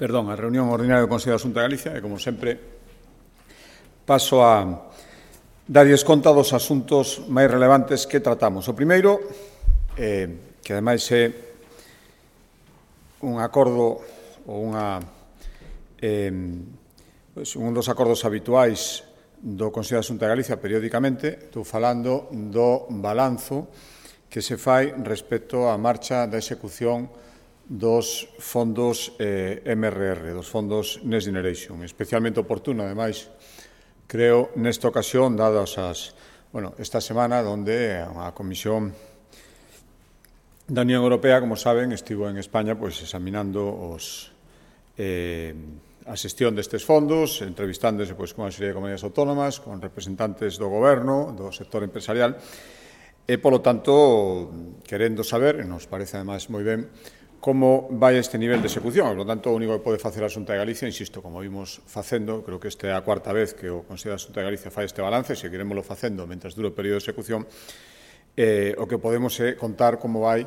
a reunión ordinaria do Consello da Xunta de Galicia e, como sempre, paso a darlles conta dos asuntos máis relevantes que tratamos. O primeiro, que ademais é un acordo ou un dos acordos habituais do Consello da Xunta de Galicia periódicamente, estou falando do balanzo que se fai respecto á marcha da execución dos fondos MRR, dos fondos Next Generation. Especialmente oportuno, ademais, creo, nesta ocasión, dadas esta semana, onde a Comisión da Unión Europea, como saben, estivo en España examinando a xestión destes fondos, entrevistándose con unha serie de comunidades autónomas, con representantes do Goberno, do sector empresarial, e, polo tanto, querendo saber, e nos parece, ademais, moi ben, como vai este nivel de execución. Por lo tanto, o único que pode facer a Xunta de Galicia, insisto, como vimos facendo, creo que esta é a cuarta vez que o Consello da Xunta de Galicia fai este balance, e seguiremoslo facendo mentre dure o período de execución, o que podemos é contar como vai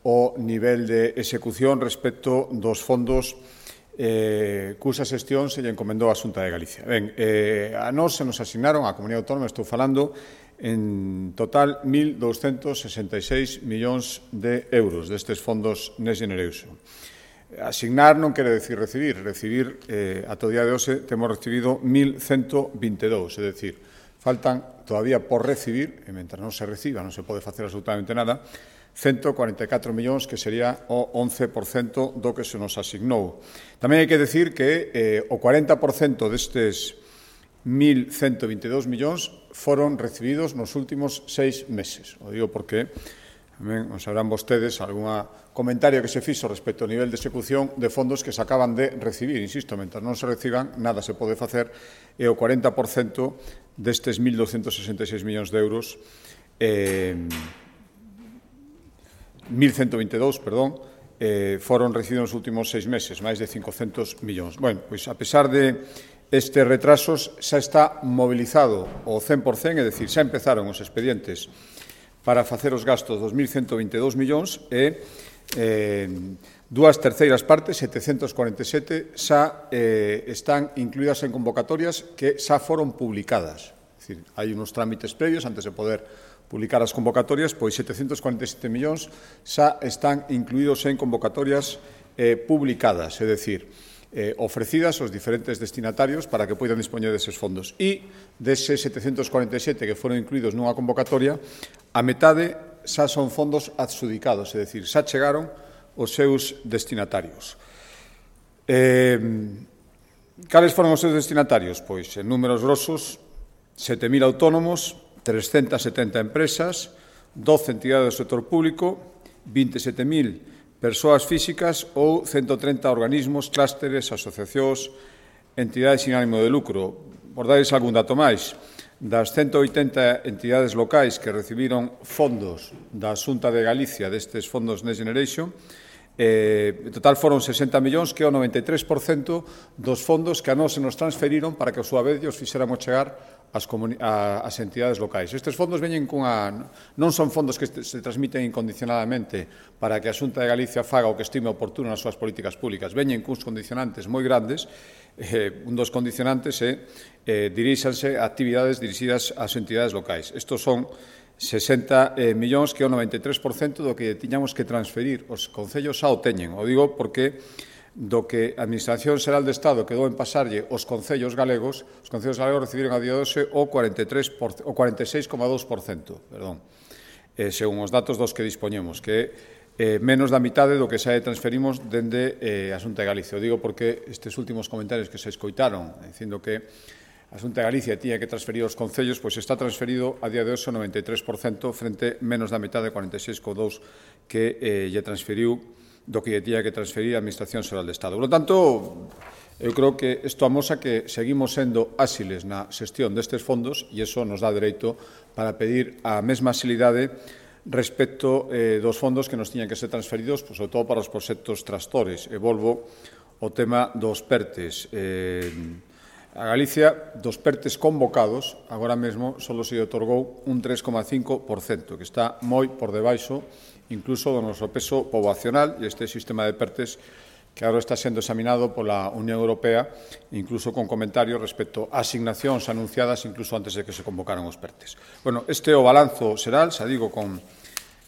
o nivel de execución respecto dos fondos cusa xestión se lle encomendou a Xunta de Galicia. Ben, a nós se nos asignaron, a Comunidade Autónoma, estou falando, en total 1.266 millóns de euros destes fondos Next Generation. Asignar non quere decir recibir. Recibir, ata o día de hoxe, temos recibido 1.122, é dicir, faltan todavía por recibir, e mentre non se reciba non se pode facer absolutamente nada, 144 millóns, que sería o 11% do que se nos asignou. Tamén hai que decir que o 40% destes 1.122 millóns foron recibidos nos últimos 6 meses. O digo porque tamén os sabrán vostedes algún comentario que se fixo respecto ao nivel de execución de fondos que se acaban de recibir. Insisto, mentre non se reciban, nada se pode facer, e o 40% destes 1.266 millóns de euros 1.122, foron recibidos nos últimos 6 meses, máis de 500 millóns. Bueno, pois, a pesar de estes retrasos, xa está mobilizado o 100%, é dicir, xa empezaron os expedientes para facer os gastos dos 1.122 millóns e dúas terceiras partes, 747, xa están incluídas en convocatorias que xa foron publicadas. É dicir, hai unos trámites previos antes de poder publicar as convocatorias, pois 747 millóns xa están incluídos en convocatorias publicadas, é dicir, ofrecidas aos diferentes destinatarios para que poidan dispoñer deses fondos. E deses 747 que foron incluídos nunha convocatoria, a metade xa son fondos adxudicados, é dicir, xa chegaron os seus destinatarios. Cales foron os seus destinatarios? Pois, en números grosos, 7.000 autónomos, 370 empresas, 12 entidades do sector público, 27.000 persoas físicas ou 130 organismos, clústeres, asociacións, entidades sin ánimo de lucro. Por darles algún dato máis, das 180 entidades locais que recibiron fondos da Xunta de Galicia destes fondos Next Generation, en total foron 60 millóns, que é o 93% dos fondos que a nós se nos transferiron para que, a súa vez, os fixéramos chegar as entidades locais. Estes fondos veñen non son fondos que se transmiten incondicionadamente para que a Xunta de Galicia faga o que estime oportuno nas súas políticas públicas. Veñen cuns condicionantes moi grandes. Un dos condicionantes é diríxanse a actividades dirixidas ás entidades locais. Estos son 60 millóns, que é o 93% do que tiñamos que transferir. Os concellos xa o teñen. O digo porque do que a Administración Xeral de Estado quedou en pasarlle os concellos galegos recibiron a día de hoxe o 46,2%, según os datos dos que dispoñemos, que é menos da mitade do que xa transferimos dende a Xunta de Galicia. O digo porque estes últimos comentarios que se escoitaron, dicindo que a Xunta de Galicia tiña que transferir os concellos, pois está transferido a día de hoxe o 93% frente menos da mitade, 46,2%, que lle transferiu do que lle tiña que transferir a Administración Xeral de Estado. Por lo tanto, eu creo que isto amosa que seguimos sendo áxiles na xestión destes fondos e iso nos dá dereito para pedir a mesma axilidade respecto dos fondos que nos tiñan que ser transferidos, sobre todo para os proxectos tractores. E volvo ao tema dos PERTES. A Galicia, dos PERTES convocados, agora mesmo só se otorgou un 3,5%, que está moi por debaixo incluso do noso peso poboacional, e este sistema de PERTES que agora está sendo examinado pola Unión Europea, incluso con comentarios respecto a asignacións anunciadas incluso antes de que se convocaran os PERTES. Bueno, este é o balanzo xeral, xa digo, con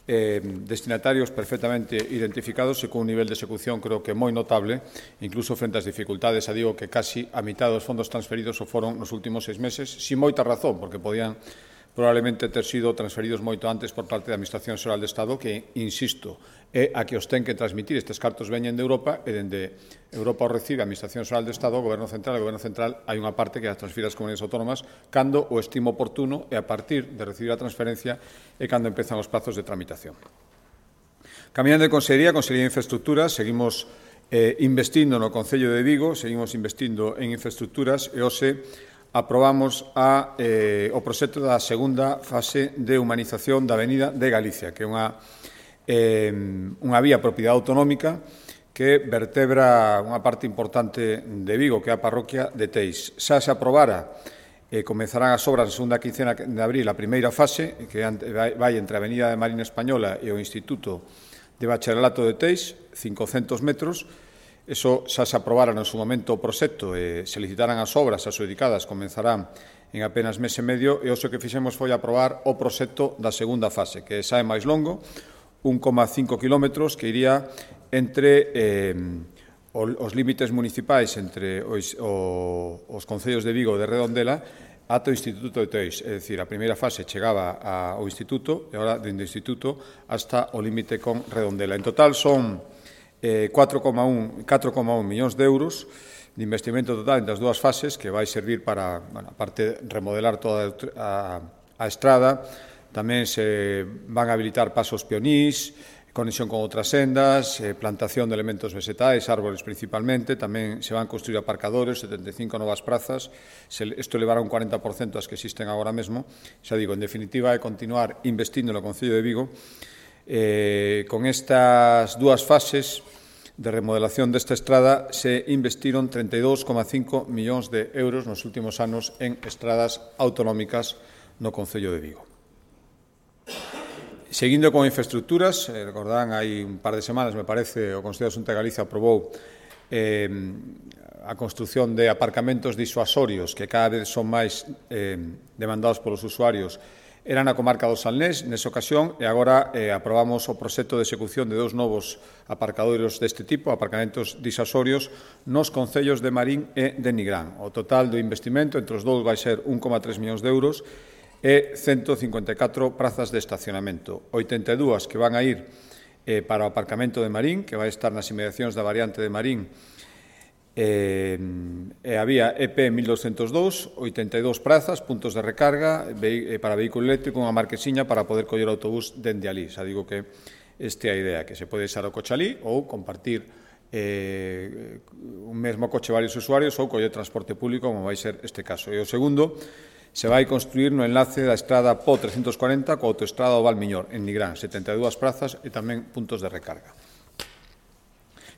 destinatarios perfectamente identificados e con un nivel de execución creo que moi notable, incluso frente ás dificultades, xa digo que casi a mitad dos fondos transferidos o foron nos últimos 6 meses, sin moita razón, porque podían probablemente ter sido transferidos moito antes por parte da Administración Xeral de Estado, que, insisto, é a que os ten que transmitir. Estes cartos veñen de Europa e dende Europa os recibe a Administración Xeral de Estado, o Goberno Central. O Goberno Central hai unha parte que as transfira ás comunidades autónomas cando o estimo oportuno e a partir de recibir a transferencia é cando empezan os plazos de tramitación. Caminando de Consellería de Infraestructuras, seguimos investindo no Concello de Vigo, seguimos investindo en infraestructuras e hoxe aprobamos o proxecto da segunda fase de humanización da Avenida de Galicia, que é unha vía propiedade autonómica que vertebra unha parte importante de Vigo, que é a parroquia de Teis. Xa se aprobara comezarán as obras na segunda quincena de abril a primeira fase, que vai entre a Avenida de Marina Española e o Instituto de Bacharelato de Teis, 500 metros. Eso xa se aprobara no seu momento o proxecto e se licitaran as obras adxudicadas, comenzarán en apenas mes e medio, e o que fixemos foi aprobar o proxecto da segunda fase, que xa é máis longo, 1,5 kilómetros, que iría entre os límites municipais entre os concellos de Vigo e de Redondela ata o Instituto de Teis. É dicir, a primeira fase chegaba ao Instituto e agora dende o Instituto hasta o límite con Redondela. En total son 4,1 millóns de euros de investimento total entre as dúas fases, que vai servir para, aparte de remodelar toda a estrada, tamén se van a habilitar pasos peonís, conexión con outras sendas, plantación de elementos vegetais, árboles principalmente, tamén se van a construir aparcadores, 75 novas prazas, isto levará un 40% as que existen agora mesmo. Xa digo, en definitiva, é continuar investindo no Concello de Vigo. Con estas dúas fases de remodelación desta estrada se investiron 32,5 millóns de euros nos últimos anos en estradas autonómicas no Concello de Vigo. Seguindo con infraestructuras, recordarán, hai un par de semanas, me parece, o Consello de Xunta de Galicia aprobou a construción de aparcamentos disuasorios que cada vez son máis demandados polos usuarios. Era na comarca do Salnés, nesa ocasión, e agora aprobamos o proxecto de execución de 2 novos aparcadoiros deste tipo, aparcamentos disuasorios, nos concellos de Marín e de Nigrán. O total do investimento entre os dous vai ser 1,3 millóns de euros e 154 prazas de estacionamento. 82 que van a ir para o aparcamento de Marín, que vai estar nas inmediacións da variante de Marín, e había EP 1202, 82 prazas, puntos de recarga para vehículo eléctrico, unha marquesiña para poder coller o autobús dende ali. Xa digo que esta é a idea, que se pode deixar o coche ali ou compartir un mesmo coche varios usuarios ou coller transporte público, como vai ser este caso. E o segundo se vai construir no enlace da estrada PO 340 coa autoestrada do Valmiñor, en Nigrán, 72 prazas e tamén puntos de recarga.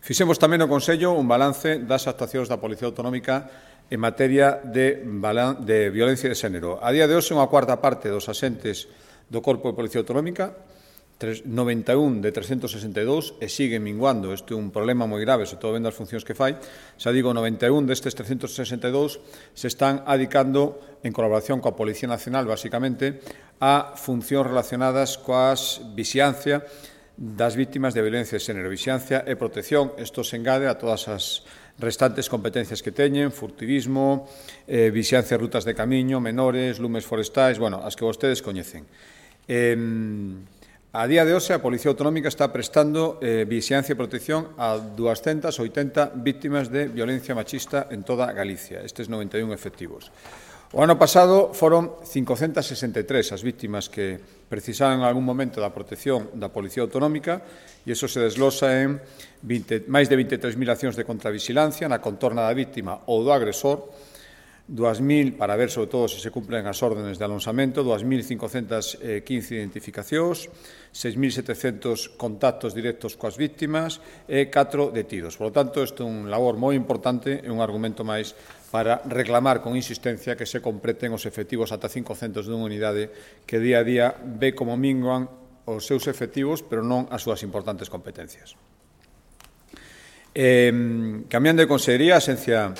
Fixemos tamén no Consello un balance das actuacións da Policía Autonómica en materia de violencia de xénero. A día de hoxe, unha cuarta parte dos axentes do Corpo de Policía Autonómica, 91 de 362, e sigue minguando. Isto é un problema moi grave, sobre todo vendo as funcións que fai. Xa digo, 91 destes 362 se están adicando, en colaboración coa Policía Nacional, basicamente, a funcións relacionadas coas vixiancia das vítimas de violencia de xénero. Vixiancia e protección, isto se engade a todas as restantes competencias que teñen, furtivismo, vixiancia de rutas de camiño, menores, lumes forestais, bueno, as que vostedes coñecen. A día de hoxe, a Policía Autonómica está prestando vixiancia e protección a 280 vítimas de violencia machista en toda Galicia, estes 91 efectivos. O ano pasado foron 563 as vítimas que precisaban en algún momento da protección da Policía Autonómica, e iso se desglosa en máis de 23.000 accións de contravigilancia na contorna da vítima ou do agresor, 2.000 para ver sobre todo se cumplen as órdenes de alonsamento, 2.515 identificacións, 6.700 contactos directos coas vítimas e 4 detidos. Por lo tanto, isto é un labor moi importante e un argumento máis para reclamar con insistencia que se completen os efectivos ata 500 dunha unidade que día a día ve como minguan os seus efectivos, pero non as súas importantes competencias. Cambiando de consellería, a Axencia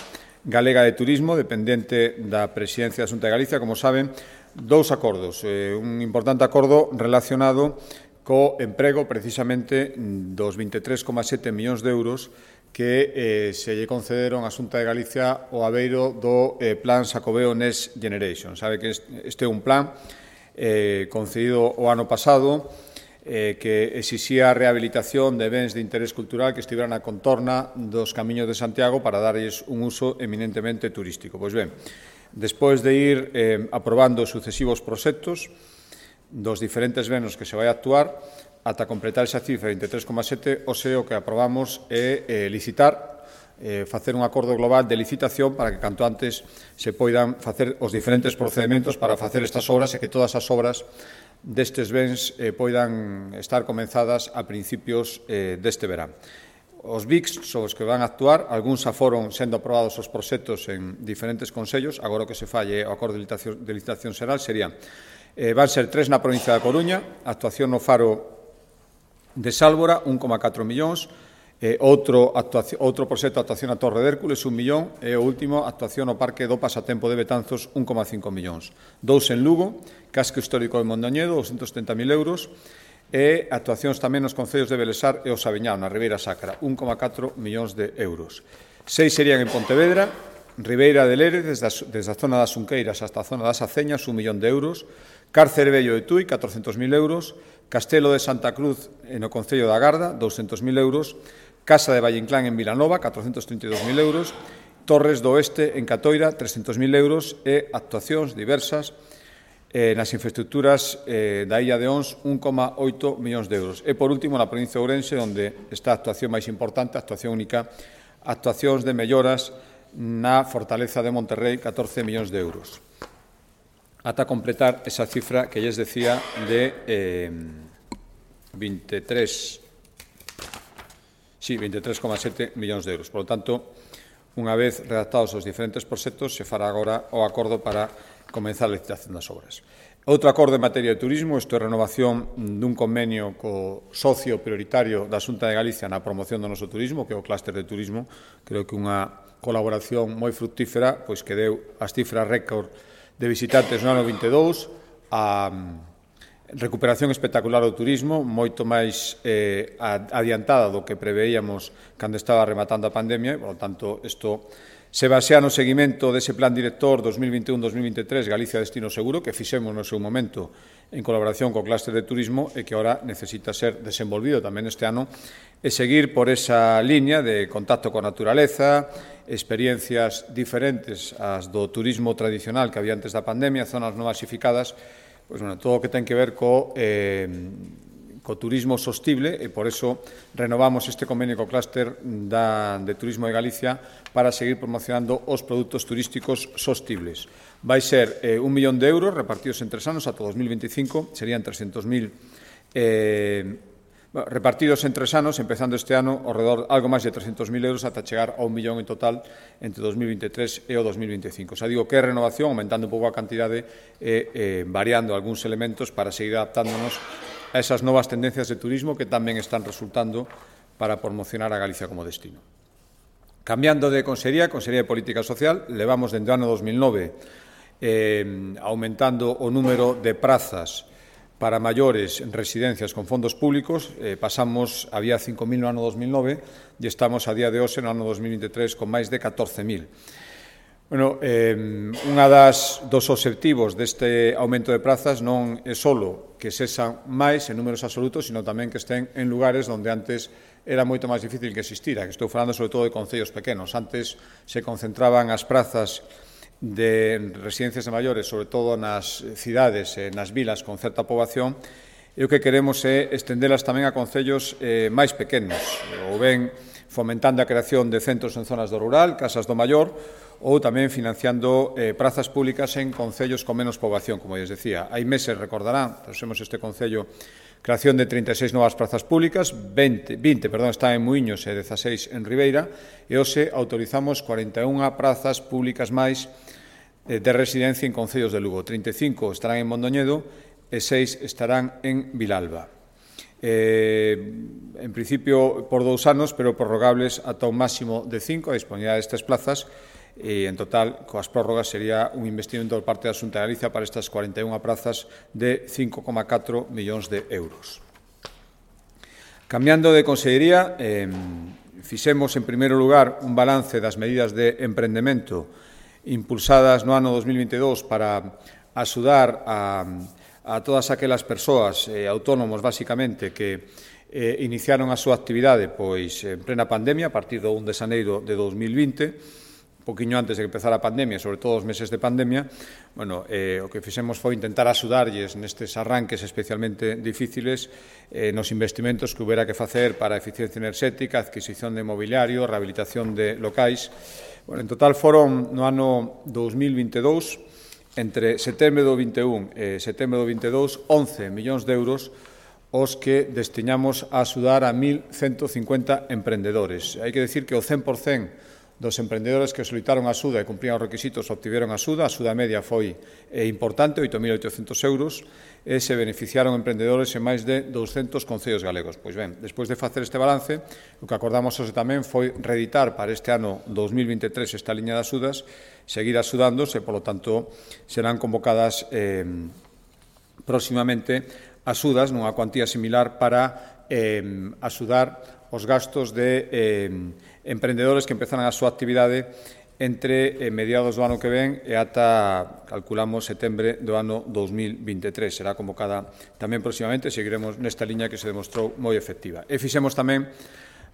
Galega de Turismo, dependente da Presidencia da Xunta de Galicia, como saben, dous acordos. Un importante acordo relacionado co emprego precisamente dos 23,7 millóns de euros que se lle concederon á Xunta de Galicia ao abeiro do Plan Xacobeo Next Generation. Sabe que este é un plan concedido o ano pasado que exixía a rehabilitación de bens de interés cultural que estiveran na contorna dos camiños de Santiago para darlles un uso eminentemente turístico. Pois ben, despois de ir aprobando sucesivos proxectos dos diferentes benos que se vai actuar, ata completar esa cifra de 23,7, o que aprobamos é licitar, facer un acordo global de licitación para que canto antes se poidan facer os diferentes procedementos para facer estas obras e que todas as obras destes bens poidan estar comenzadas a principios deste verán. Os BICs son os que van a actuar, algúns xa foron sendo aprobados os proxectos en diferentes consellos, agora o que se falle o acordo de licitación xeral serían van ser 3 na provincia da Coruña, actuación no faro de Sálvora, 1,4 millóns, outro proxecto de actuación na Torre de Hércules, 1 millón, e o último, actuación no Parque do Pasatempo de Betanzos, 1,5 millóns. 2 en Lugo, Casco Histórico de Mondoñedo, 270.000 euros, e actuacións tamén nos concellos de Belesar e o Saviñao, na Ribeira Sacra, 1,4 millóns de euros. 6 serían en Pontevedra, Ribeira de Lérez, desde a zona das Unqueiras hasta a zona das Aceñas, 1 millón de euros, Cárcere Vello de Tui, 400.000 euros, Castelo de Santa Cruz no Concello da Garda, 200.000 euros, Casa de Vallinclán en Vilanova, 432.000 euros, Torres do Oeste en Catoira, 300.000 euros e actuacións diversas nas infraestructuras da Illa de Ons, 1,8 millóns de euros. E, por último, na provincia de Ourense, onde está a actuación máis importante, a actuación única, actuacións de melloras na Fortaleza de Monterrey, 14 millóns de euros. Ata completar esa cifra que lles decía de 23,7 millóns de euros. Por lo tanto, unha vez redactados os diferentes proxectos, se fará agora o acordo para comenzar a licitación das obras. Outro acordo en materia de turismo, isto é renovación dun convenio co socio prioritario da Xunta de Galicia na promoción do noso turismo, que é o clúster de turismo. Creo que unha colaboración moi fructífera, pois que deu as cifras récord de visitantes no ano 22, a recuperación espectacular do turismo, moito máis adiantada do que preveíamos cando estaba rematando a pandemia, e, por lo tanto, isto se basea no seguimento dese plan director 2021-2023 Galicia Destino Seguro, que fixemos no seu momento en colaboración co clúster de turismo e que agora necesita ser desenvolvido tamén este ano e seguir por esa liña de contacto coa naturaleza, experiencias diferentes ás do turismo tradicional que había antes da pandemia, zonas non masificadas, pois, bueno, todo o que ten que ver co turismo sostible e por eso renovamos este convenio co clúster de turismo de Galicia para seguir promocionando os produtos turísticos sostibles. Vai ser 1 millón de euros repartidos en 3 anos ata 2025, serían 300.000 repartidos en 3 anos, empezando este ano, algo máis de 300.000 euros ata chegar a 1 millón en total entre 2023 e o 2025. Xa digo que é renovación, aumentando un pouco a cantidade e variando algúns elementos para seguir adaptándonos a esas novas tendencias de turismo que tamén están resultando para promocionar a Galicia como destino. Cambiando de Consellería de Política Social, levamos dende o ano 2009 aumentando o número de prazas para maiores en residencias con fondos públicos, había 5.000 no ano 2009 e estamos a día de hoxe no ano 2023 con máis de 14.000. Bueno, unha dos obxectivos deste aumento de prazas non é só que sexan máis en números absolutos, sino tamén que estén en lugares onde antes era moito máis difícil que existira, que estou falando sobre todo de concellos pequenos. Antes se concentraban as prazas de residencias de maiores, sobre todo nas cidades e nas vilas con certa poboación, e o que queremos é estendelas tamén a concellos máis pequenos, ou ben fomentando a creación de centros en zonas do rural, casas do maior, ou tamén financiando prazas públicas en concellos con menos poboación, como lles decía. Hai meses, recordarán, trouxemos este concello, creación de 36 novas prazas públicas, 20 están en Muíños e 16 en Ribeira, e hoxe autorizamos 41 prazas públicas máis de residencia en concellos de Lugo. 35 estarán en Mondoñedo e 6 estarán en Vilalba. en principio por 2 anos, pero prorrogables ata un máximo de 5, a disponibilidade destas plazas, e en total, coas prórrogas, sería un investimento por parte da Xunta de Galicia para estas 41 prazas de 5,4 millóns de euros. Cambiando de consellería, fixemos, en primeiro lugar, un balance das medidas de emprendemento impulsadas no ano 2022 para axudar a todas aquelas persoas autónomos, basicamente, que iniciaron a súa actividade pois en plena pandemia, a partir do 1 de xaneiro de 2020, un poquinho antes de que empezara a pandemia, sobre todo os meses de pandemia. Bueno, o que fixemos foi intentar axudarlles nestes arranques especialmente difíciles nos investimentos que houbera que facer para a eficiencia enerxética, adquisición de mobiliario, rehabilitación de locais. Bueno, en total foron no ano 2022, entre setembro do 21 e setembro do 22, 11 millóns de euros os que destinamos a axudar a 1.150 emprendedores. Hai que decir que o 100% dos emprendedores que solicitaron axuda e cumprían os requisitos obtiveron axuda. A axuda media foi importante, 8.800 euros, e se beneficiaron emprendedores en máis de 200 concellos galegos. Pois ben, despois de facer este balance, o que acordamos hoxe tamén foi reeditar para este ano 2023 esta liña de axudas, seguir axudándose, e, polo tanto, serán convocadas próximamente axudas nunha cuantía similar para axudar os gastos de emprendedores que empezaran a súa actividade entre mediados do ano que ven e ata, calculamos, setembro do ano 2023. Será convocada tamén próximamente, seguiremos nesta liña que se demostrou moi efectiva. E fixemos tamén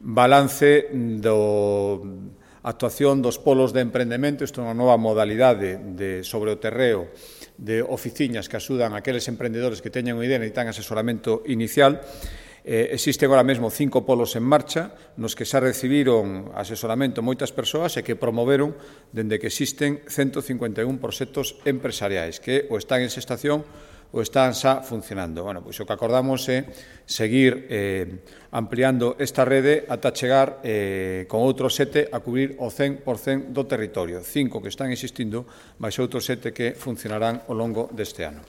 balance da actuación dos polos de emprendemento. Isto é unha nova modalidade sobre o terreo de oficinas que axudan a aqueles emprendedores que teñen unha idea e necesitan asesoramento inicial. Existen agora mesmo 5 polos en marcha nos que xa recibiron asesoramento moitas persoas e que promoveron dende que existen 151 proxectos empresariais que ou están en xestación ou están xa funcionando. Bueno, pois o que acordamos é seguir ampliando esta rede ata chegar con outros 7 a cubrir o 100% do territorio. 5 que están existindo, máis outros 7 que funcionarán ao longo deste ano.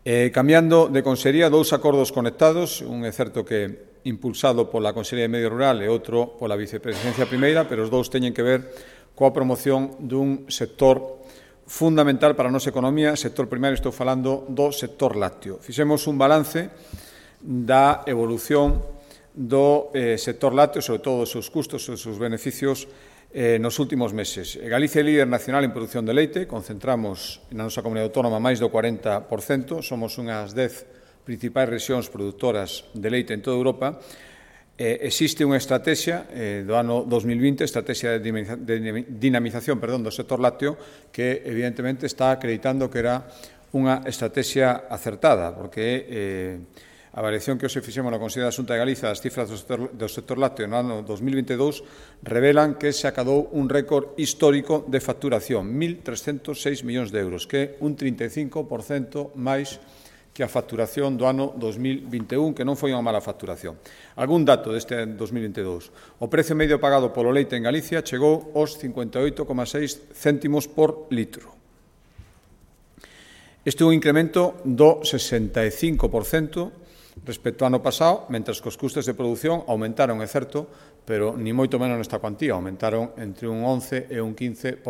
Cambiando de consellería, 2 acordos conectados, un é certo que impulsado pola Consellería de Medio Rural e outro pola Vicepresidencia Primeira, pero os 2 teñen que ver coa promoción dun sector fundamental para a nosa economía. Sector primario, estou falando do sector lácteo. Fixemos un balance da evolución do sector lácteo, sobre todo os seus custos e os seus beneficios nos últimos meses. Galicia é líder nacional en produción de leite, concentramos na nosa comunidade autónoma máis do 40%, somos unhas 10 principais rexións produtoras de leite en toda Europa. Existe unha estrategia do ano 2020, estrategia de dinamización do sector lácteo, que evidentemente está acreditando que era unha estrategia acertada, porque a variación que hoxe fixemos na Consellería da Xunta de Galicia das cifras do sector lácteo no ano 2022 revelan que se acadou un récord histórico de facturación, 1.306 millóns de euros, que é un 35% máis que a facturación do ano 2021, que non foi unha mala facturación. Algún dato deste 2022. O precio medio pagado polo leite en Galicia chegou aos 58,6 céntimos por litro. Este é un incremento do 65% respecto ao ano pasado, mentre que os custes de produción aumentaron, é certo, pero ni moito menos nesta cuantía, aumentaron entre un 11 e un 15%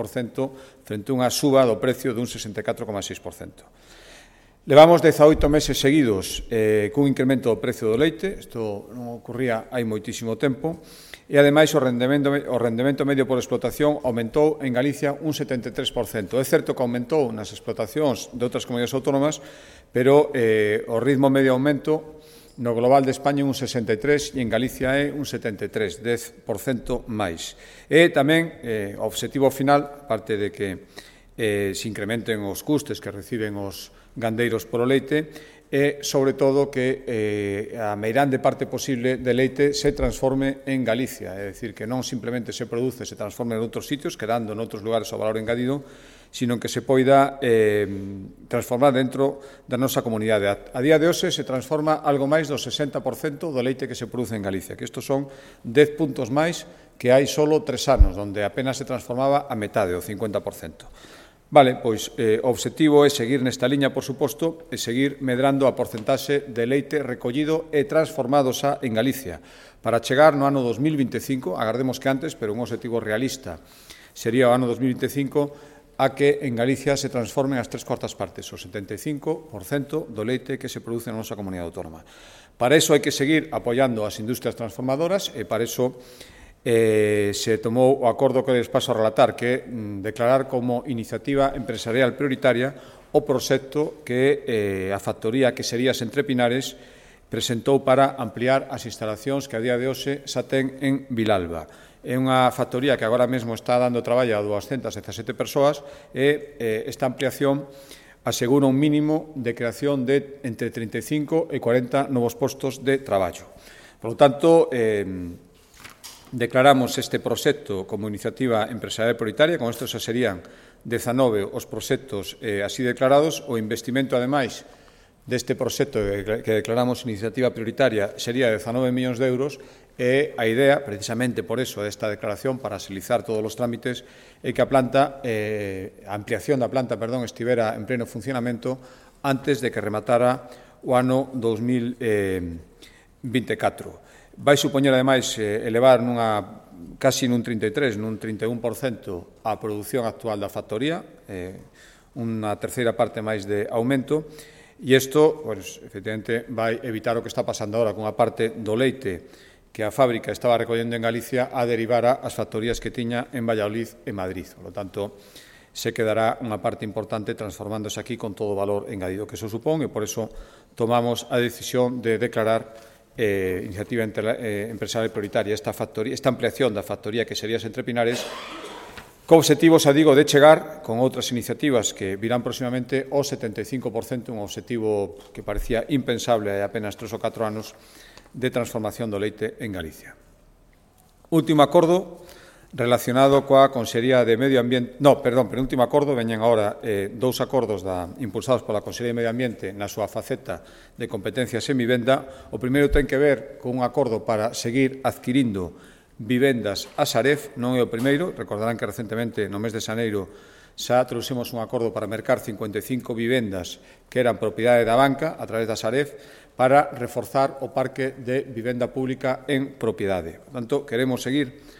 frente a unha suba do precio dun 64,6%. Levamos 18 meses seguidos cun incremento do precio do leite, isto non ocurría hai moitísimo tempo, e, ademais, o rendemento medio por explotación aumentou en Galicia un 73%. É certo que aumentou nas explotacións de outras comunidades autónomas, pero o ritmo medio aumento no global de España é un 63% e en Galicia é un 73%, 10% máis. E tamén o obxectivo final, aparte de que se incrementen os custes que reciben os gandeiros polo leite, e, sobre todo, que a meirande parte posible de leite se transforme en Galicia, é dicir, que non simplemente se produce, se transforme en outros sitios, quedando en outros lugares o valor engadido, sino que se poida transformar dentro da nosa comunidade. A día de hoxe se transforma algo máis do 60% do leite que se produce en Galicia, que estos son 10 puntos máis que hai solo 3 anos, onde apenas se transformaba a metade, o 50%. Vale, pois o obxectivo é seguir nesta liña, por suposto, e seguir medrando a porcentaxe de leite recollido e transformado xa en Galicia. Para chegar no ano 2025, agardemos que antes, pero un obxectivo realista, sería o ano 2025, a que en Galicia se transformen as 3/4 partes, o 75% do leite que se produce na nosa comunidade autónoma. Para iso hai que seguir apoiando as industrias transformadoras e para iso se tomou o acordo que les paso a relatar, que é declarar como iniciativa empresarial prioritaria o proxecto que a factoría que sería Entre Pinares presentou para ampliar as instalacións que a día de hoxe xa ten en Vilalba. É unha factoría que agora mesmo está dando traballo a 217 persoas e esta ampliación asegura un mínimo de creación de entre 35 e 40 novos postos de traballo. Por lo tanto, declaramos este proxecto como iniciativa empresarial prioritaria, con isto xa serían 19 os proxectos así declarados. O investimento, ademais, deste proxecto que declaramos iniciativa prioritaria sería de 19 millóns de euros e a idea, precisamente por eso, desta declaración, para agilizar todos os trámites, é que a ampliación da planta estivera en pleno funcionamento antes de que rematara o ano 2024. Vai supoñer, ademais, elevar casi nun 33, nun 31% a produción actual da factoría, unha terceira parte máis de aumento, e isto, efectivamente, vai evitar o que está pasando agora con a parte do leite que a fábrica estaba recollendo en Galicia a derivar ás factorías que tiña en Valladolid e Madrid. Por lo tanto, se quedará unha parte importante transformándose aquí con todo o valor engadido que eso supón, e por eso tomamos a decisión de declarar iniciativa empresarial prioritaria esta ampliación da factoría que sería Entre Pinares, co obxectivo, xa digo, de chegar con outras iniciativas que virán próximamente ao 75%, un obxectivo que parecía impensable hai apenas 3 ou 4 anos de transformación do leite en Galicia. Último acordo relacionado coa Consellería de Medio Ambiente. Penúltimo acordo, veñen agora dous acordos impulsados pola Consellería de Medio Ambiente na súa faceta de competencias en vivenda. O primeiro ten que ver con un acordo para seguir adquirindo vivendas a Sareb. Non é o primeiro, recordarán que recentemente, no mes de xaneiro, xa trouxemos un acordo para mercar 55 vivendas que eran propiedade da banca a través da Sareb para reforzar o parque de vivenda pública en propiedade. Por tanto, queremos seguir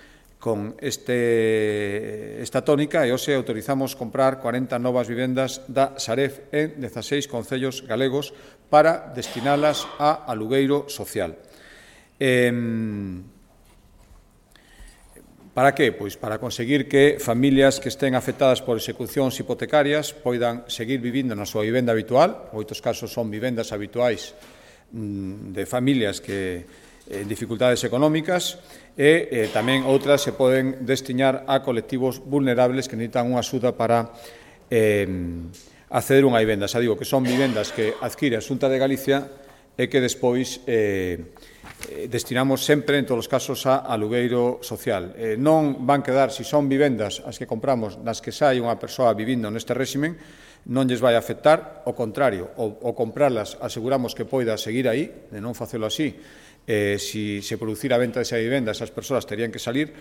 con esta tónica e hoxe autorizamos comprar 40 novas vivendas da Sareb en 16 concellos galegos para destinalas a alugueiro social. Para que? Pois para conseguir que familias que estén afectadas por execucións hipotecarias poidan seguir vivindo na súa vivenda habitual. En moitos casos son vivendas habituais de familias que en dificultades económicas e tamén outras se poden destinar a colectivos vulnerables que necesitan unha axuda para acceder a unha vivenda. Xa digo que son vivendas que adquire a Xunta de Galicia e que despois destinamos sempre, en todos os casos, a alugueiro social. Non van quedar, se son vivendas as que compramos nas que xa hai unha persoa vivindo neste réximen, non lles vai afectar, ao contrario, ao comprarlas aseguramos que poida seguir aí, de non facelo así. Si se producira a venta desa vivenda, esas persoas terían que salir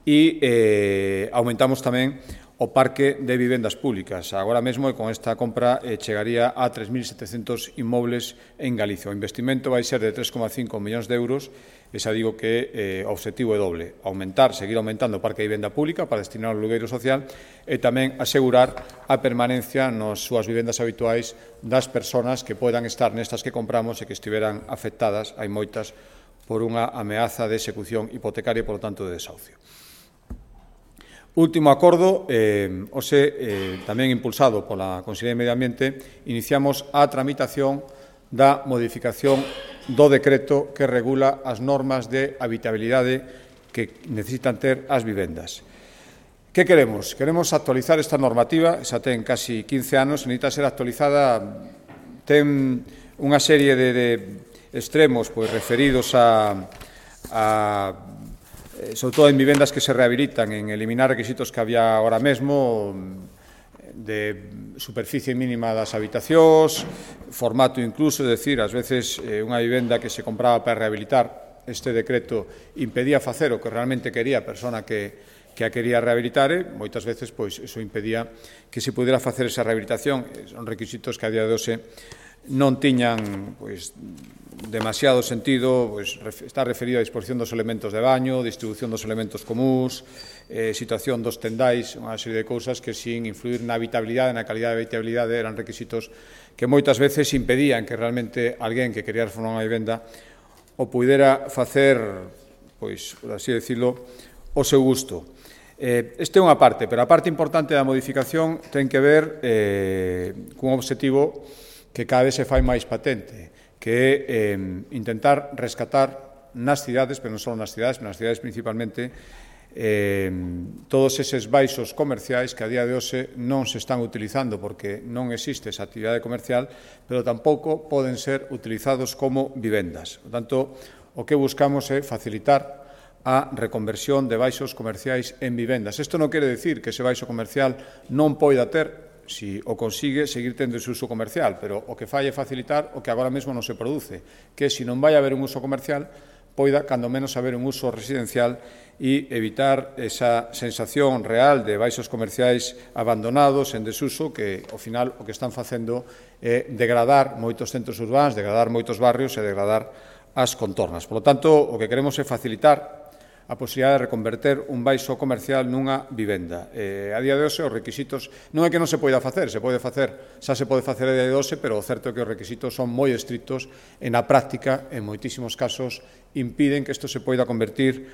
e aumentamos tamén o parque de vivendas públicas. Agora mesmo, con esta compra, chegaría a 3.700 inmobles en Galicia. O investimento vai ser de 3,5 millóns de euros e xa digo que o obxectivo é doble. Seguir aumentando o parque de vivenda pública para destinar ao alugueiro social e tamén asegurar a permanencia nas súas vivendas habituais das persoas que poidan estar nestas que compramos e que estiveran afectadas, hai moitas, por unha ameaza de execución hipotecaria e, por lo tanto, de desahucio. Último acordo, tamén impulsado pola Consellería de Medio Ambiente, iniciamos a tramitación da modificación do decreto que regula as normas de habitabilidade que necesitan ter as vivendas. Que queremos? Queremos actualizar esta normativa, xa ten casi 15 anos, necesita ser actualizada, ten unha serie de extremos referidos sobre todo en vivendas que se rehabilitan, en eliminar requisitos que había ahora mesmo de superficie mínima das habitacións, formato incluso, é dicir, ás veces unha vivenda que se compraba para rehabilitar, este decreto impedía facer o que realmente quería a persona que que a quería rehabilitar e moitas veces pois iso impedía que se pudera facer esa rehabilitación. Son requisitos que a día de hoxe non tiñan pois demasiado sentido, pois está referido á disposición dos elementos de baño, distribución dos elementos comúns, situación dos tendais, unha serie de cousas que sin influir na habitabilidade, na calidade de habitabilidade, eran requisitos que moitas veces impedían que realmente alguén que quería reformar unha vivenda o pudera facer, pois, por así decirlo, o seu gusto. Esta é unha parte, pero a parte importante da modificación ten que ver cun objetivo que cada vez se fai máis patente, que é intentar rescatar nas cidades, pero non só nas cidades, pero nas cidades principalmente, todos eses baixos comerciais que a día de hoxe non se están utilizando porque non existe esa actividade comercial, pero tampouco poden ser utilizados como vivendas. Por tanto, o que buscamos é facilitar a reconversión de baixos comerciais en vivendas. Isto non quere dicir que ese baixo comercial non poida ter, se o consigue, seguir tendo ese uso comercial, pero o que fai é facilitar o que agora mesmo non se produce, que se non vai haber un uso comercial, poida, cando menos, haber un uso residencial e evitar esa sensación real de baixos comerciais abandonados, en desuso, que, ao final, o que están facendo é degradar moitos centros urbanos, degradar moitos barrios e degradar as contornas. Por lo tanto, o que queremos é facilitar a posibilidade de reconverter un baixo comercial nunha vivenda. A día de hoxe, os requisitos non é que non se poida facer, xa se pode facer a día de hoxe, pero o certo é que os requisitos son moi estrictos e na práctica, en moitísimos casos, impiden que isto se poida convertir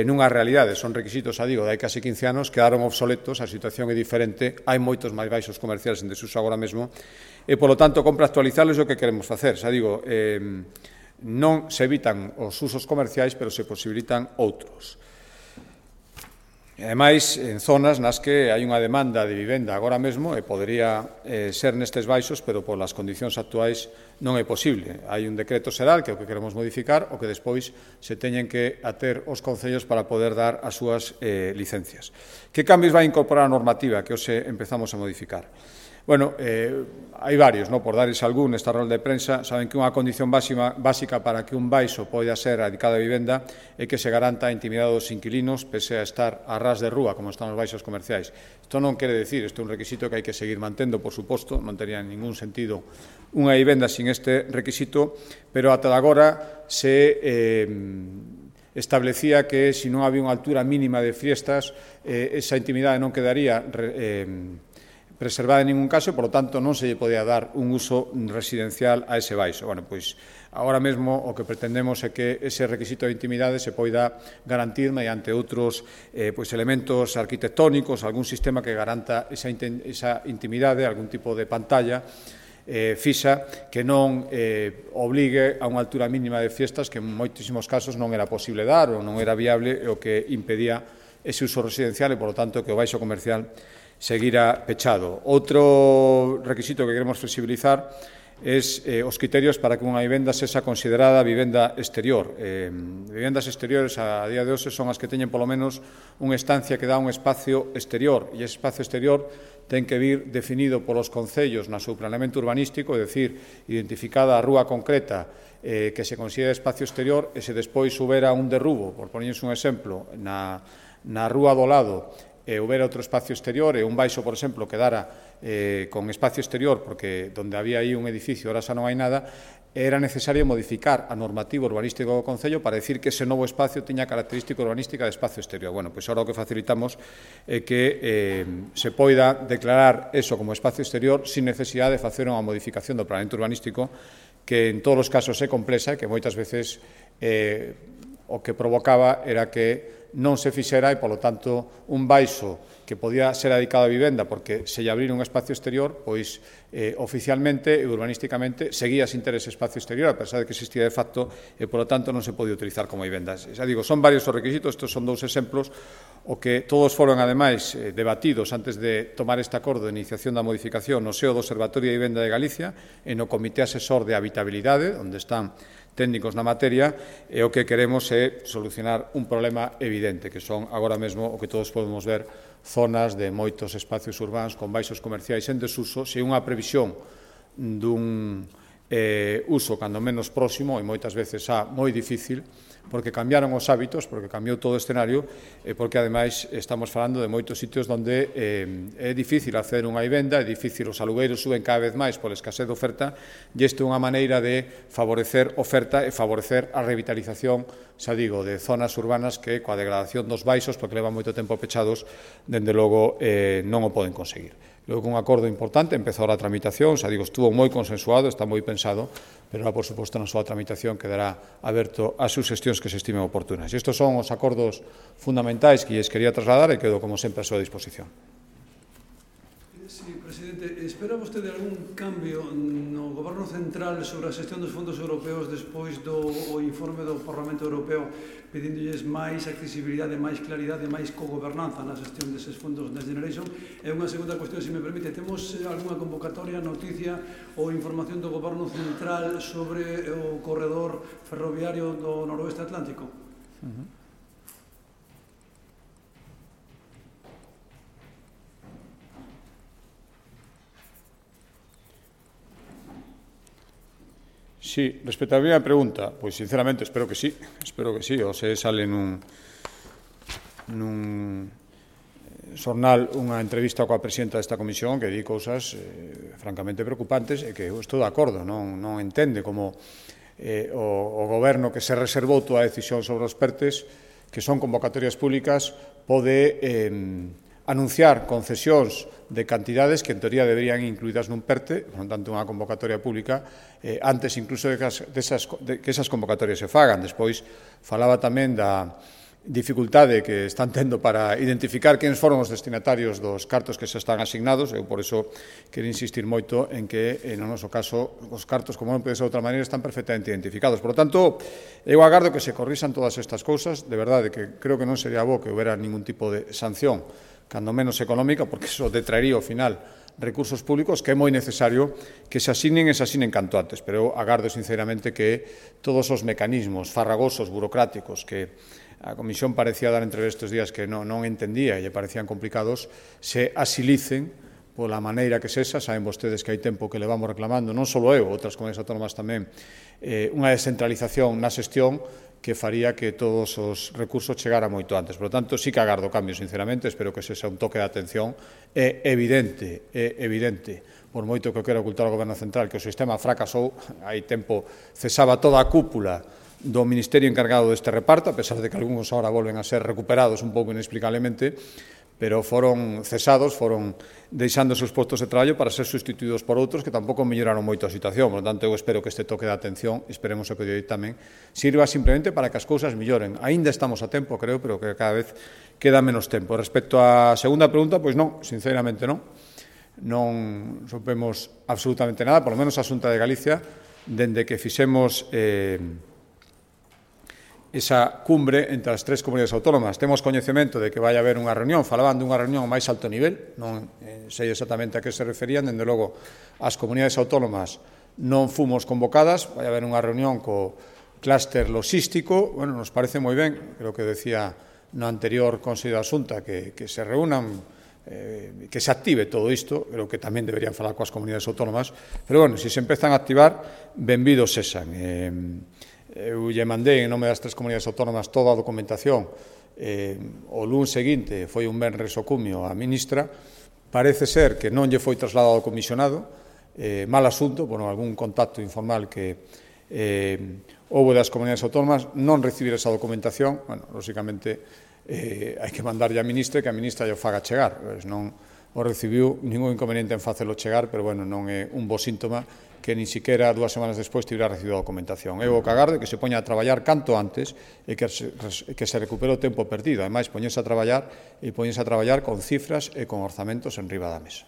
nunha realidade. Son requisitos, digo, de hai casi 15 anos, quedaron obsoletos, a situación é diferente, hai moitos máis baixos comerciales en desuso agora mesmo, e, polo tanto, compra actualizalos é o que queremos facer. Xa digo, non se evitan os usos comerciais, pero se posibilitan outros. E, ademais, en zonas nas que hai unha demanda de vivenda agora mesmo, e podería ser nestes baixos, pero polas condicións actuais non é posible. Hai un decreto xeral, que é o que queremos modificar, o que despois se teñen que ater os concellos para poder dar as súas licencias. Que cambios vai incorporar a normativa que hoxe empezamos a modificar? Bueno, hai varios, por darles algún nesta rolda de prensa. Saben que unha condición básica para que un baixo poida ser adicado a vivenda é que se garanta a intimidade dos inquilinos pese a estar a ras de rúa, como están os baixos comerciais. Isto non quere decir, isto é un requisito que hai que seguir mantendo, por suposto, non tería ningún sentido unha vivenda sin este requisito, pero ata agora se establecía que se non había unha altura mínima de fiestas, esa intimidade non quedaría preservada en ningún caso, e, por lo tanto, non se lle podía dar un uso residencial a ese baixo. Bueno, pois, agora mesmo o que pretendemos é que ese requisito de intimidade se poida garantir mediante outros elementos arquitectónicos, algún sistema que garanta esa intimidade, algún tipo de pantalla fixa que non obligue a unha altura mínima de fiestas que en moitísimos casos non era posible dar ou non era viable, e o que impedía ese uso residencial e, por lo tanto, que o baixo comercial seguirá pechado. Outro requisito que queremos flexibilizar é os criterios para que unha vivenda sexa considerada vivenda exterior. Vivendas exteriores a día de hoxe son as que teñen polo menos unha estancia que dá un espacio exterior, e ese espacio exterior ten que vir definido polos concellos no seu planeamento urbanístico, é dicir, identificada a rúa concreta que se considera espacio exterior, e se despois houbera un derrubo, por poñerse un exemplo, na rúa do lado, e houbera outro espacio exterior, e un baixo, por exemplo, quedara con espacio exterior porque donde había aí un edificio ahora xa non hai nada, era necesario modificar a normativa urbanística do Concello para decir que ese novo espacio tiña característica urbanística de espacio exterior. Bueno, pois agora o que facilitamos é que se poida declarar eso como espacio exterior sin necesidade de facer unha modificación do planeamento urbanístico, que en todos os casos é complexa e que moitas veces o que provocaba era que non se fixera e, polo tanto, un baixo que podía ser adicado a vivenda porque se lle abrir un espacio exterior, pois oficialmente e urbanísticamente seguía sin ter ese espacio exterior, a pesar de que existía de facto, e, polo tanto, non se podía utilizar como vivenda. Xa digo, son varios os requisitos, estes son dous exemplos, o que todos foron, ademais, debatidos antes de tomar este acordo de iniciación da modificación no seo do Observatorio de Vivenda de Galicia e no Comité Asesor de Habitabilidade, onde están técnicos na materia, e o que queremos é solucionar un problema evidente, que son agora mesmo o que todos podemos ver, zonas de moitos espacios urbanos con baixos comerciais en desuso, se unha previsión dun uso cando menos próximo e moitas veces moi difícil, porque cambiaron os hábitos, porque cambiou todo o escenario e porque, ademais, estamos falando de moitos sitios onde é difícil acceder a unha vivenda, é difícil, os alugueiros suben cada vez máis pola escasez de oferta e isto é unha maneira de favorecer oferta e favorecer a revitalización, xa digo, de zonas urbanas que coa degradación dos baixos, porque levan moito tempo pechados, dende logo non o poden conseguir. Creo que un acordo importante, empezou a tramitación, xa digo, estuvo moi consensuado, está moi pensado, pero, por suposto, na súa tramitación quedará aberto ás suxestións que se estimen oportunas. Estes son os acordos fundamentais que lles quería trasladar e quedo, como sempre, a súa disposición. Sí, presidente, espera vostede algún cambio no Goberno Central sobre a xestión dos fondos europeos despois do informe do Parlamento Europeo pedindolles máis accesibilidade, máis claridade, máis cogobernanza na xestión deses fondos Next Generation? E unha segunda cuestión, se me permite, temos algunha convocatoria, noticia ou información do Goberno Central sobre o corredor ferroviario do noroeste atlántico? Sí, respecto á primeira pregunta, pois sinceramente espero que sí, o se sale nun xornal unha entrevista coa presidenta desta comisión que di cousas francamente preocupantes e que eu estou de acordo, non entende como o goberno que se reservou toda a decisión sobre os PERTES, que son convocatorias públicas, pode anunciar concesións de cantidades que en teoría deberían incluídas nun PERTE, por tanto unha convocatoria pública, antes incluso de que esas convocatorias se fagan. Despois falaba tamén da dificultade que están tendo para identificar quen foron os destinatarios dos cartos que se están asignados. Eu por iso quero insistir moito en que, no noso caso, os cartos, como non pode ser de outra maneira, están perfectamente identificados. Por lo tanto, eu agardo que se corrixan todas estas cousas. De verdade que creo que non sería bo que houbera ningún tipo de sanción, cando menos económica, porque iso detraería ao final recursos públicos que é moi necesario que se asignen canto antes. Pero eu agardo sinceramente que todos os mecanismos farragosos, burocráticos, que a Comisión parecía dar entre estes días que non entendía e lle parecían complicados, se asilicen pola maneira que sexa. Saben vostedes que hai tempo que levamos reclamando, non só eu, outras comunidades autónomas tamén, unha descentralización na xestión que faría que todos os recursos chegaran moito antes. Por lo tanto, sí que agardo cambios, sinceramente, espero que ese sea un toque de atención. É evidente, por moito que o quera ocultar o Goberno Central, que o sistema fracasou, hai tempo cesaba toda a cúpula do Ministerio encargado deste reparto, a pesar de que algúns ahora volven a ser recuperados un pouco inexplicablemente, pero foron cesados, foron deixando os seus postos de traballo para ser sustituídos por outros que tampouco melloraron moito a situación. Por lo tanto, eu espero que este toque de atención, esperemos que o día tamén, sirva simplemente para que as cousas melloren. Aínda estamos a tempo, creo, pero que cada vez queda menos tempo. Respecto á segunda pregunta, pois non, sinceramente non. Non supemos absolutamente nada, por lo menos a Xunta de Galicia, dende que fixemos esa cumbre entre as tres comunidades autónomas. Temos coñecemento de que vai haber unha reunión, falaban dunha reunión a máis alto nivel, non sei exactamente a que se referían, dende logo as comunidades autónomas non fomos convocadas, vai haber unha reunión co clúster logístico, bueno, nos parece moi ben, creo que decía no anterior Consello da Xunta que se reúnan, que se active todo isto, creo que tamén deberían falar coas comunidades autónomas, pero bueno, se empezan a activar, benvidos sesan. Eu lle mandei en nome das tres comunidades autónomas toda a documentación. O lunes seguinte foi un venres o cumio a ministra. Parece ser que non lle foi trasladado ao comisionado. Mal asunto, por algún contacto informal que houve das comunidades autónomas, non recibir esa documentación. Bueno, lóxicamente, hai que mandarlle a ministra que a ministra lle faga chegar. Non o recibiu, ningún inconveniente en facelo chegar, pero bueno, non é un bo síntoma que ni siquiera 2 semanas despois tivera recibido a documentación. Eu o que agardo é que se poña a traballar canto antes e que se recupere o tempo perdido. Ademais, poñese a traballar con cifras e con orzamentos en riba da mesa.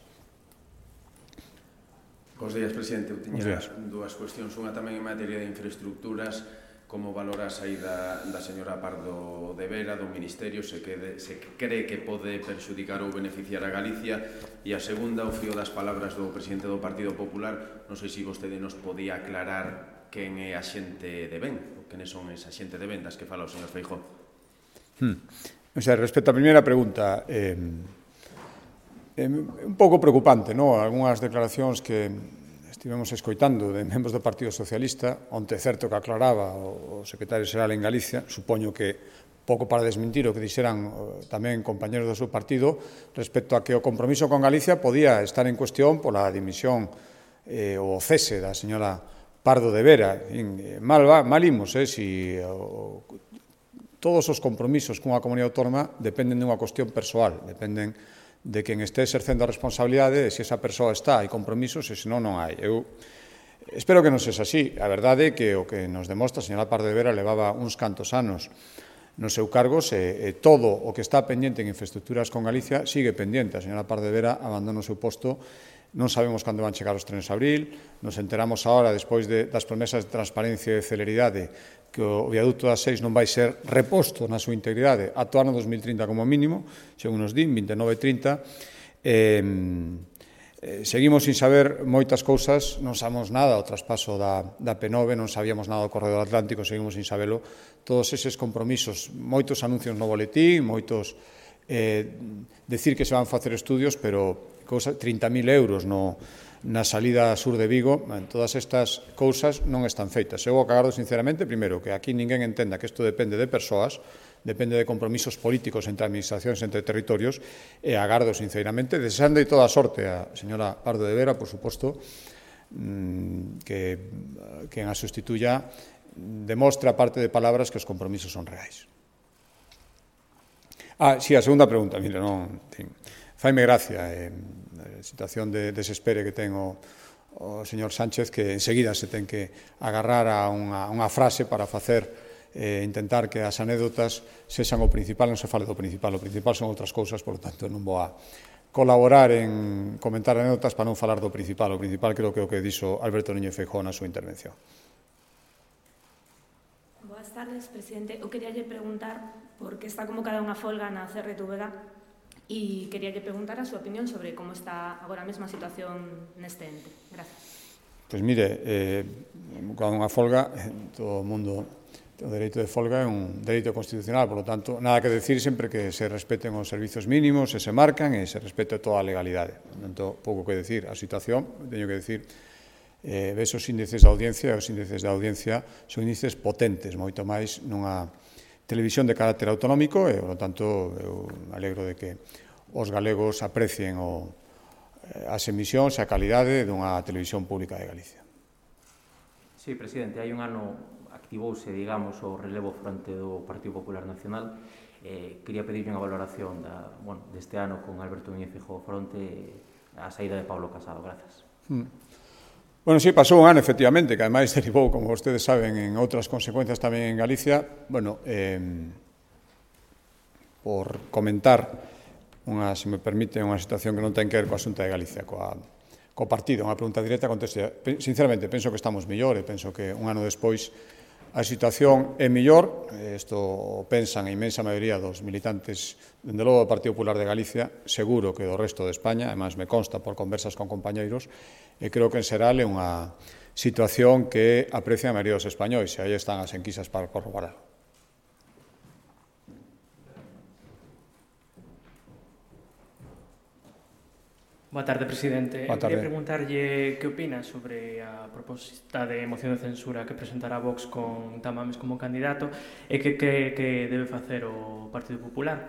Bos días, presidente. Eu tiña dúas cuestións. Unha tamén en materia de infraestructuras. Como valora a saída da señora Pardo de Vera do Ministerio, se cree que pode perxudicar ou beneficiar a Galicia? E a segunda, ao fío das palabras do presidente do Partido Popular, non sei se vostede nos podía aclarar quen é a xente de ben, ou quenes son esa xente de ben das que fala o señor Feijóo. Respecto á primeira pregunta, un pouco preocupante, non? Algúnas declaracións que estivemos escoitando de membros do Partido Socialista, onte certo que aclaraba o secretario xeral en Galicia, supoño que pouco para desmentir o que dixeran tamén compañeros do seu partido respecto a que o compromiso con Galicia podía estar en cuestión pola dimisión ou o cese da señora Pardo de Vera. Mal imos, si todos os compromisos cunha comunidade autónoma dependen dunha cuestión persoal, dependen de quen este exercendo a responsabilidade e se esa persoa está, hai compromisos e senón non hai. Eu espero que non sexa así. A verdade é que o que nos demostra a señora Pardo de Vera levaba uns cantos anos no seu cargo e todo o que está pendente en infraestructuras con Galicia sigue pendente. A señora Pardo de Vera abandona o seu posto, non sabemos cando van chegar os trenes a abril, nos enteramos agora, despois das promesas de transparencia e de celeridade, que o viaducto das 6 non vai ser reposto na súa integridade ata o ano 2030 como mínimo, según nos din, 29 e 30. Seguimos sin saber moitas cousas, non sabemos nada do traspaso da P9, non sabíamos nada do Corredor Atlántico, seguimos sin sabelo. Todos eses compromisos, moitos anuncios no boletín, moitos decir que se van facer estudios, pero 30.000 euros na salida sur de Vigo, todas estas cousas non están feitas. Eu agardo sinceramente, primeiro, que aquí ninguén entenda que isto depende de persoas, depende de compromisos políticos entre administracións, entre territorios, e agardo sinceramente, deseando toda a sorte a señora Pardo de Vera, por suposto, que quen a sustituya demostra, aparte de palabras, que os compromisos son reais. Si, a segunda pregunta, mire, non... Faime gracia a situación de desespere que ten o señor Sánchez, que enseguida se ten que agarrar a unha frase para intentar que as anécdotas sexan o principal. Non se fale do principal, o principal son outras cousas, por lo tanto non vou a colaborar en comentar anécdotas para non falar do principal. O principal creo que é o que dixo Alberto Núñez Feijóo na súa intervención. Boas tardes, presidente. Eu quería preguntar por que está convocada unha folga na CRTVG e quería preguntar a súa opinión sobre como está agora mesma a situación neste ente. Gracias. Pois mire, cando unha folga, todo o mundo, o dereito de folga é un dereito constitucional, por lo tanto, nada que decir sempre que se respeten os servizos mínimos, se marcan e se respete toda a legalidade. Por tanto, pouco que decir. A situación, teño que decir, ves os índices de audiencia, e os índices de audiencia son índices potentes, moito máis nunha televisión de carácter autonómico e, por lo tanto, eu me alegro de que os galegos aprecien as emisións e a calidade dunha televisión pública de Galicia. Sí, presidente, hai un ano activouse, digamos, o relevo fronte do Partido Popular Nacional. Quería pedirle unha valoración deste ano con Alberto Núñez Feijóo fronte á saída de Pablo Casado. Grazas. Bueno, sí, pasou un ano, efectivamente, que ademais derivou, como vostedes saben, en outras consecuencias tamén en Galicia. Bueno, por comentar, se me permite, unha situación que non ten que ver coa Xunta de Galicia, co partido, unha pregunta directa, conteste. Sinceramente, penso que estamos mellor e penso que un ano despois a situación é mellor. Isto o pensan a inmensa maioría dos militantes, dende logo do Partido Popular de Galicia, seguro que do resto de España, además me consta por conversas con compañeiros, e creo que en xeral é unha situación que aprecia a maioría dos españois, e aí están as enquisas para corroborarlo. Boa tarde, presidente. Boa tarde. Quería preguntarlle que opina sobre a proposta de moción de censura que presentará Vox con Tamames como candidato e que debe facer o Partido Popular,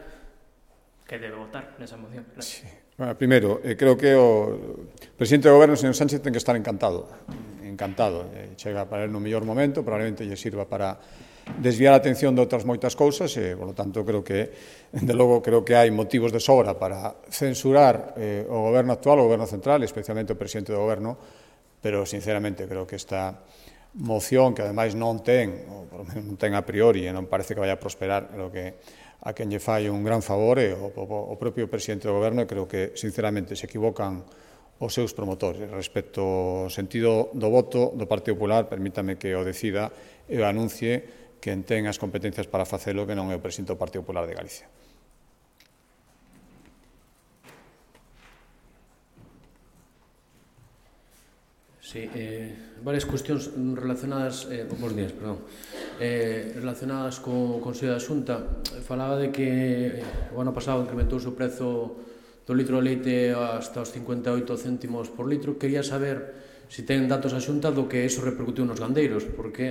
que debe votar nesa moción. Gracias. Sí. Bueno, primeiro, creo que o presidente do Goberno, señor Sánchez, ten que estar encantado. Chega para el no mellor momento, probablemente lle sirva para desviar a atención de outras moitas cousas e, por lo tanto, creo que, de logo, creo que hai motivos de sobra para censurar o Goberno actual, o Goberno central, especialmente o presidente do Goberno, pero, sinceramente, creo que esta moción, que ademais non ten, ou por lo menos non ten a priori, e non parece que vai a prosperar, creo que a quen lle fai un gran favor é o propio presidente do Goberno, e creo que, sinceramente, se equivocan os seus promotores. Respecto ao sentido do voto do Partido Popular, permítame que o decida e o anuncie quen ten as competencias para facelo, que non é o presidente do Partido Popular de Galicia. Sí, varias cuestións relacionadas, relacionadas co Consello da Xunta. Falaba de que o ano pasado incrementouse o prezo do litro de leite hasta os 58 céntimos por litro. Quería saber si ten datos a Xunta do que eso repercutiu nos gandeiros, porque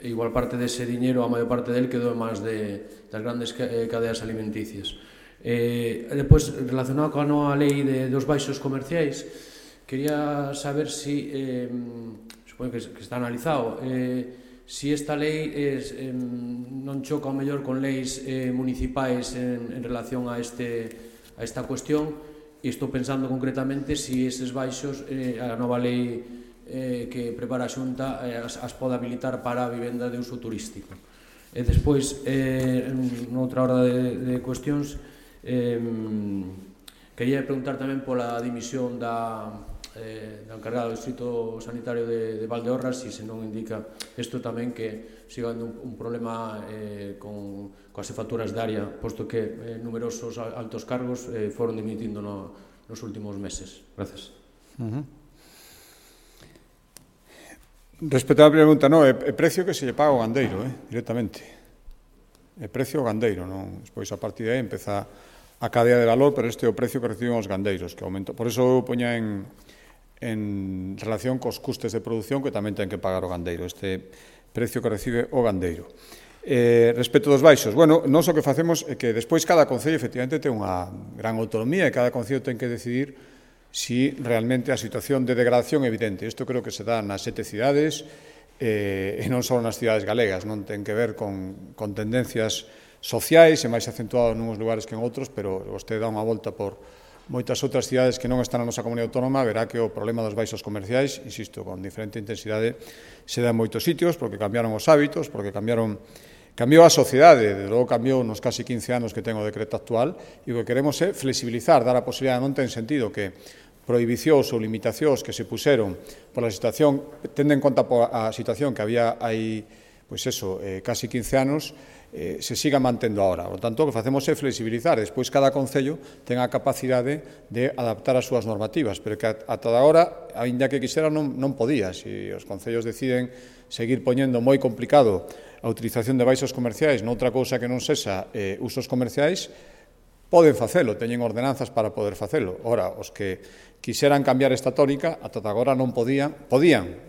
igual parte dese diñeiro, a maior parte del quedou en mans das grandes cadeas alimenticias. Depois, relacionado coa nova lei dos baixos comerciais, quería saber si, supoño que está analizado, si esta lei non choca ao mellor con leis municipais en relación a esta cuestión, e estou pensando concretamente si eses baixos, a nova lei que prepara a Xunta, as pode habilitar para a vivenda de uso turístico. E despois, noutra hora de cuestións, quería preguntar tamén pola dimisión da encargada do Distrito Sanitario de Valdeorras, e se non indica isto tamén que siga un problema coas facturas de área, posto que numerosos altos cargos foron dimitindo nos últimos meses. Gracias. Respecto á pregunta, non, é precio que se lle paga ao gandeiro, directamente. É precio ao gandeiro, non? Despois, a partir de aí, empeza a cadea de valor, pero este é o precio que reciben os gandeiros, que aumenta. Por iso eu poña en relación cos custes de produción que tamén ten que pagar o gandeiro, este precio que recibe o gandeiro. Respecto dos baixos, bueno, nós o que facemos é que despois cada concello efectivamente ten unha gran autonomía e cada concello ten que decidir si realmente a situación de degradación é evidente. Isto creo que se dá nas 7 cidades e non só nas cidades galegas, non ten que ver con tendencias sociais e máis acentuado en uns lugares que en outros, pero vostede dá unha volta por moitas outras cidades que non están na nosa comunidade autónoma, verá que o problema dos baixos comerciais, insisto, con diferente intensidade, se dá en moitos sitios, porque cambiaron os hábitos, porque cambiou a sociedade, de logo cambiou nos casi 15 anos que ten o decreto actual, e o que queremos é flexibilizar, dar a posibilidade, non ten sentido que prohibicións ou limitacións que se puseron pola situación, tendo en conta a situación que había aí, pois eso, casi 15 anos, se siga mantendo agora. Por tanto, o que facemos é flexibilizar. Despois, cada concello ten a capacidade de adaptar as súas normativas, pero que ata agora, aínda que quixera, non podía. Se os concellos deciden seguir poñendo moi complicado a utilización de baixos comerciais noutra cousa que non sexa usos comerciais, poden facelo, teñen ordenanzas para poder facelo. Ora, os que quixeran cambiar esta tónica, ata agora non podían,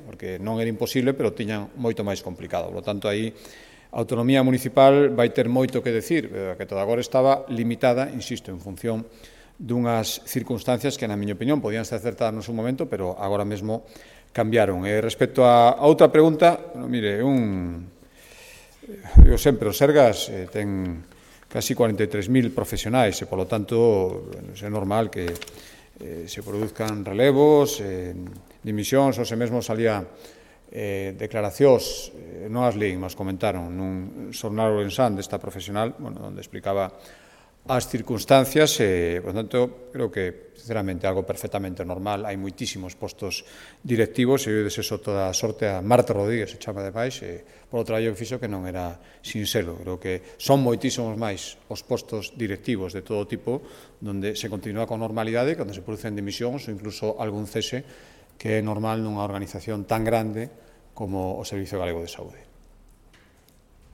porque non era imposible, pero tiñan moito máis complicado. Por lo tanto, aí a autonomía municipal vai ter moito que decir, que toda agora estaba limitada, insisto, en función dunhas circunstancias que, na miña opinión, podían ser acertadas no seu momento, pero agora mesmo cambiaron. Respecto a outra pregunta, mire, eu sempre, o Sergas ten casi 43.000 profesionais e, polo tanto, é normal que se produzcan relevos, dimisións, ou se mesmo salía declaracións, non as leín, mas comentaron nun xornal ourensán desta profesional, onde explicaba as circunstancias e, por tanto, creo que, sinceramente, algo perfectamente normal. Hai moitísimos postos directivos e eu deseso toda a sorte a Marta Rodríguez, se chama de máis, por o traballo que fixo que non era sinxelo. Creo que son moitísimos máis os postos directivos de todo tipo onde se continúa con normalidade, onde se producen dimisións ou incluso algún cese que é normal nunha organización tan grande como o Servicio Galego de Saúde.